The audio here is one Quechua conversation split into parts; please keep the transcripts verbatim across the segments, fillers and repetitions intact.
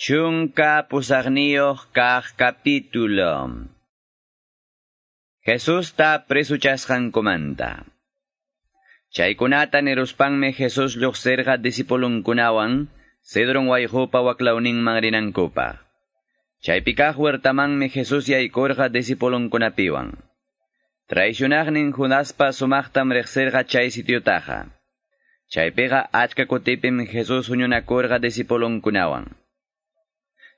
Chunka pusaqniyuq kaq capítulo. Jesusta presuchasqankumanta. Chaykunata niruspanmi Jesús lluqsirqa discipulunkunawan Cedron wayqupa waklawninman rinankupaq. Chaypi kaq huertamanmi Jesús yaykurqa discipulunkunapiwan. Traicionaqnin Judaspa sumaqtam riqsirqa chay sitiotaqa. Chaypiqa achka kutipim Jesús huñunakurqa discipulunkunawan.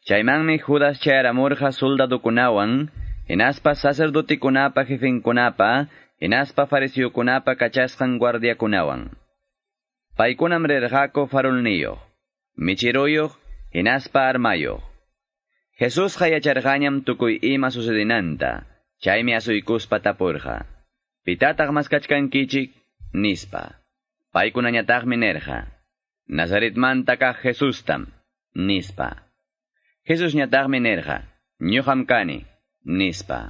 Chaymanmi Judas chayaramurqa soldadukunawan, hinaspa sacerdotikunapa jefenkunapa, hinaspa fariseokunapa kachasqan guardiakunawan. Paykunam rirqaku farolniyuq, michiruyuq, hinaspa armayuq. Jesusqa yacharqañam tukuy ima sucedinanta, chaymi asuykuspa tapurqa. Pitataq maskachkankichik? Nispa. Paykunañataqmi nirqa. Nazaretmanta kaq Jesustam, nispa. Jesusñataqmi nirqa, ñuqam kani, nispa.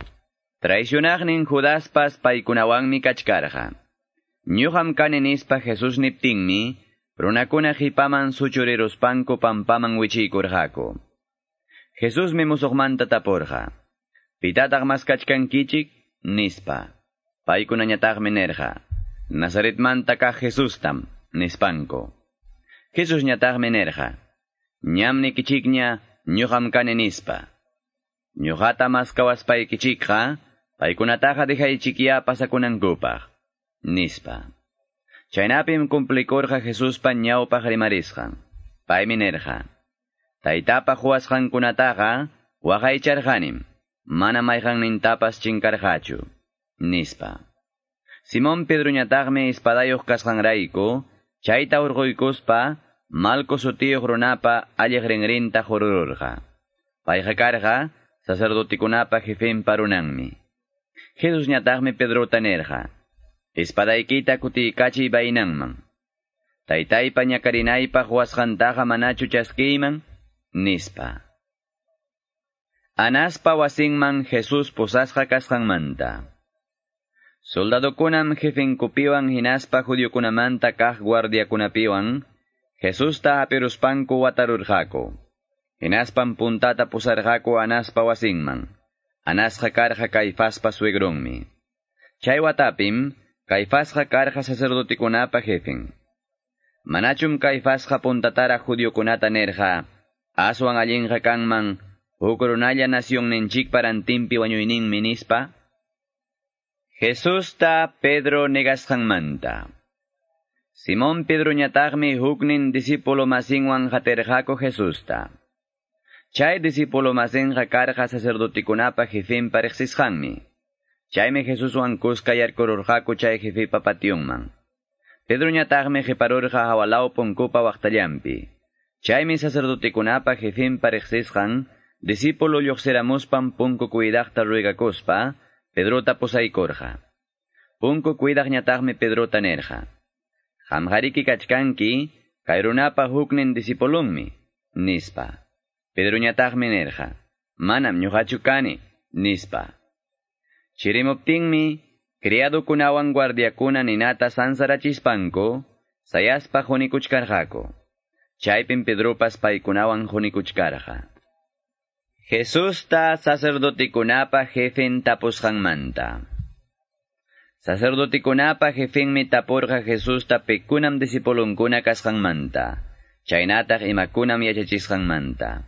Traicionaqnin Judaspas paykunawanmi kachkarqa. Ñuqam kani nispa Jesús niptinmi, runakuna qipaman suchuriruspanku pampaman wichiykurqaku. Jesusmi musuqmanta tapurqa. Pitataq maskachkankichik? Nispa. Paykunañataqmi nirqa, Nazaretmanta kaq Jesustam, nispanku. Jesusñataqmi nirqa, ñam nikichikña ñuqam kani nispa. Ñuqata maskawaspaykichikqa, paykunataqa dejaychikya pasakunankupaq, nispa. Chaynapim cumplikurqa Jesuspa ñawpaq rimarisqan. Paymi nirqa, Taytapa quwasqankunataqa waqaycharqanim, mana mayqannintapas chinkarqachu, nispa. Simón Pedroñataqmi espadayuq kasqanrayku, chayta hurquykuspa, Malco sutiyuq runapa alliq rinrinta hurururqa. Payqa karqa sacerdotikunapa jefenpa runanmi. Jesusñataqmi Pedrota nirqa, espadaykita kutiykachiy baynanman. Taytaypa ñakarinaypaq wasqantaqa manachu chaskiyman? Nispa. Anaspa wasinman Jesús pusasqa kasqanmanta. Soldadokunam jefenkupiwan hinaspa judiokunamanta kaq guardiakunapiwan Jesusta hapiruspanku watarurqaku. Hinaspam puntata pusarqaku Anaspa wasinman. Anasqa karqa Caifaspa suegronmi. Chay watapim Caifasqa karqa sacerdotikunapa jefen. Manachum Caifasqa puntatara judiokunata nirqa, aswan allinqa kanman huk runalla nacionninchikpa rantinpi wañuyninmi nispa. Jesusta Pedro negasqanmanta. Simón Pedroñataqmi huknin discípulo masinwan qatirqaku Jesusta. Chay discípulo masinqa karqa sacerdotikunapa jefenpa riqsisqanmi. Chaymi Jesuswan kuska yarkururqaku chay jefepa pationman. Pedroñataqmi qiparurqa hawalaw punkupa waqtallanpi. Chaymi sacerdotikunapa jefenpa riqsisqan discípulo lluqsiramuspan punku cuidaqta ruegakuspa Pedrota pusaykurqa. Punku cuidaqñataqmi Pedrota nirqa, Qamqariki kachkanki, kay runapa huknin discipulunmi, nispa. Pedroñataqmi nirqa, manam ñuqachu kani, nispa. Chirimuptinmi, criadukunawan guardiakuna ninata sansarachispanku, sayaspa qunikuchkarqaku. Chaypim Pedropas paykunawan qunikuchkarqa. Jesusta sacerdotikunapa jefen tapusqanmanta. Sacerdotikunapa jefenmi tapurqa Jesusta pikunam discipulunkuna kasqanmanta, chaynataq imakunam yachachisqanmanta.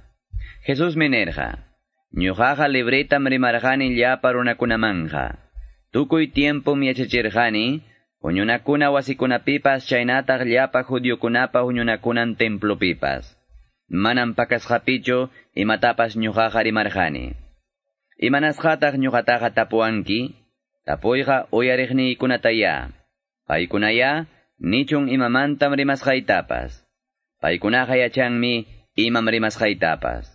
Jesusmi nirqa, ñuqaqa libretam rimarqani llapa runakunamanqa. Tukuy tiempom yachachirqani, huñunakuna wasikunapipas chaynataq llapa judiokunapa huñunakunan templopipas. Manam pakasqapichu imatapas ñuqaqa rimarqani. Imanasqataq ñuqataqa tapuwanki? Tapuyqa uyariqniykunataya. Paykunaya nichun imamantam rimasqaytapas. Paykunaqa yachanmi imam rimasqaytapas.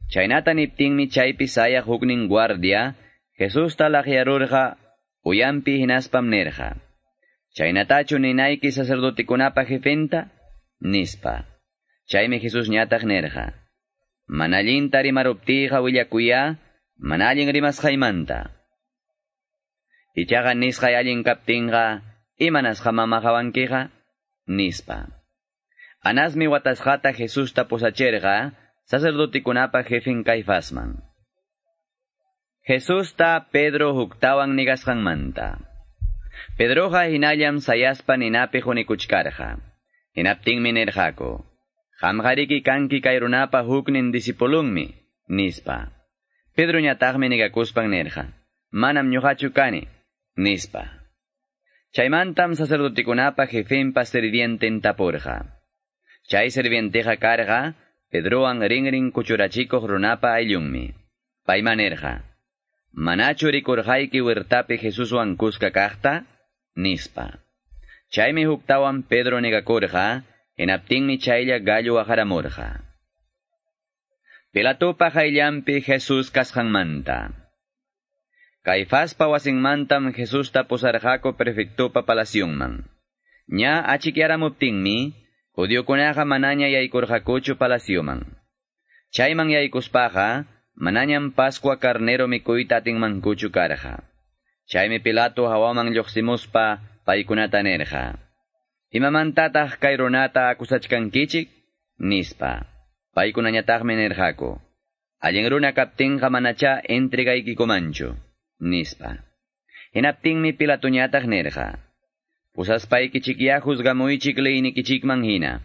Chaynata niptinmi chaypi sayaq huknin guardia Jesusta laqyarurqa uyanpi hinaspam nirqa, Chaynatachu ninayki sacerdotikunapa jefenta? Nispa. Chaymi Jesusñataq nirqa, mana allinta rimaruptiyqa willakuya, mana allin rimasqaymanta. Ichaqa nisqay allin kaptinqa, imanasqa mamaqawankiqa? Nispa. Anasmi watasqata Jesusta pusachirqa sacerdotekunapa jefen Caifasman. Jesusta Pedro huktawan nigasqanmanta. Pedroqa hinallam sayaspa ninapi qunikuchkarqa. Hinaptinmi nirqaku, Qamqariki kanki kay runapa huknin discipulunmi, nispa. Pedroñataqmi nigakuspan nirqa, Manam ñuqachu kani, nispa. Chaymantam sacerdotekunapa jefenpa sirvienten tapurqa. Chay sirvienteqa karqa, Pedrowan rinrin kuchurachikuq runapa ayllunmi. Payma nirqa, Manachu rikurqayki huertapi Jesuswan kuska kaqta? Nispa. Chaymi huktawan Pedro negakurqa, hinaptinmi chaylla gallo waqaramurqa. Pilatopa qayllanpi Jesús kasqanmanta. Caifaspa wasinmantam Jesusta pusarqaku prefectopa palacionman. Ña achikyaramuptinmi, judiokunaqa manaña yaykurqakuchu palacioman. Chayman yaykuspaqa, manañam Pascua carnero mikuyta atinmankuchu karqa. Chaymi Pilato hawaman lluqsimuspa paykunata nirqa. Imamantataq kay runata akusachkankichik? Nispa. Paykunañataqmi nirqaku. Allin runa kaptinqa manacha entregaykikumanchu. Nispa. Hinaptinmi Pilatoñataq nirqa. Pusaspaykichikya juzgamuychik leynikichikman hina.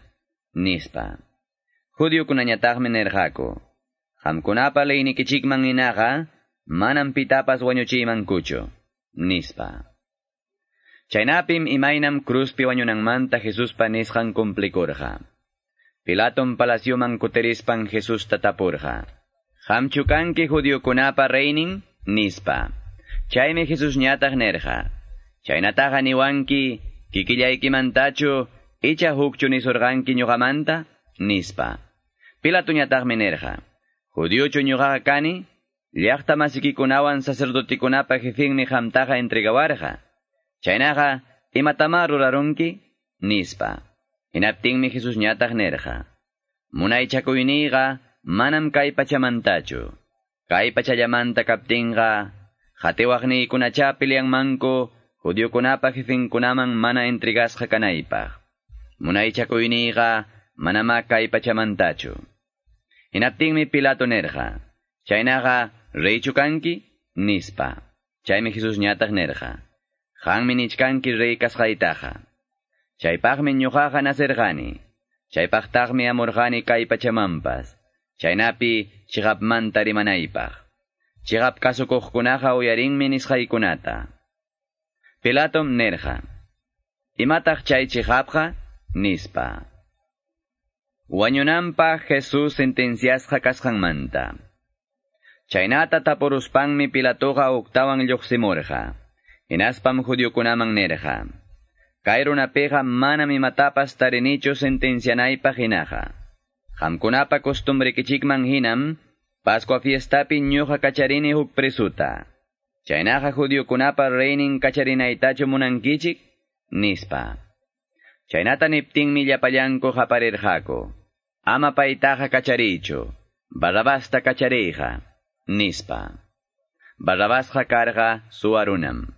Nispa. Judiokunañataqmi nirqaku. Qamkunapa leynikichikman hinaqa manam pitapas wañuchiymankuchu. Nispa. Chaynapim imaynam cruzpi wañunanmanta Jesuspa nisqan cumplikurqa. Pilatom palacioman kutirispan Jesusta tapurqa. Qamchu kanki judiokunapa reynin? Nispa. Chaymi Jesusñataq nirqa. Chaynataqa niwanki kikillaykimantachu icha hukchu nisurqanki ñuqamanta? Nispa. Pilatoñataqmi nirqa. Judiochu ñuqaqa kani? Llaqta masikikunawan sacerdotekunapa jefenmi qamtaqa entregawarqa. Chaynaqa imatama rurarunki? Nispa. Hinaptinmi Jesusñataq nirqa. Munaychakuyniyqa manam kay pachamantachu. Kay pachallamanta kaptinqa qatiwaqniykunacha peleanmanku judiokunapa jefenkunaman mana entregasqa kanaypaq. Munaychakuyniyqa manama kay pachamantachu. Hinaptinmi Pilato nirqa. Chaynaqa reychu kanki? Nispa. Chaymi Jesusñataq nirqa. Qanmi nichkanki rey kasqaytaqa. Chaypaqmi ñuqaqa nacerqani. Chaypaqtaqmi amurqani kay pachamanpas. Chaynapi chiqapmanta rimanaypaq. Chiqap kasukuqkunaqa uyarinmi nisqaykunata. Pilatom nirqa. Imataq chay chiqapqa? Nispa. Wañunanpaq Jesús sentenciasqa kasqanmanta. Chaynata tapuruspanmi Pilatoqa huktawan lluqsimurqa. Hinaspam judiokunaman nirqa. Kay runapiqa manam imatapas tarinichu sentencianaypaq hinaqa. Qamkunapa costumbrekichikman hinam, Pascua fiestapi ñuqa kacharini huk presuta. Chaynaqa judiokunapa reynin kacharinaytachu munankichik? Nispa. Chaynata niptinmi llapallanku qaparirqaku. Ama paytaqa kacharichu, Barrabasta kachariyqa, nispa. Barrabasqa karqa suwa runam.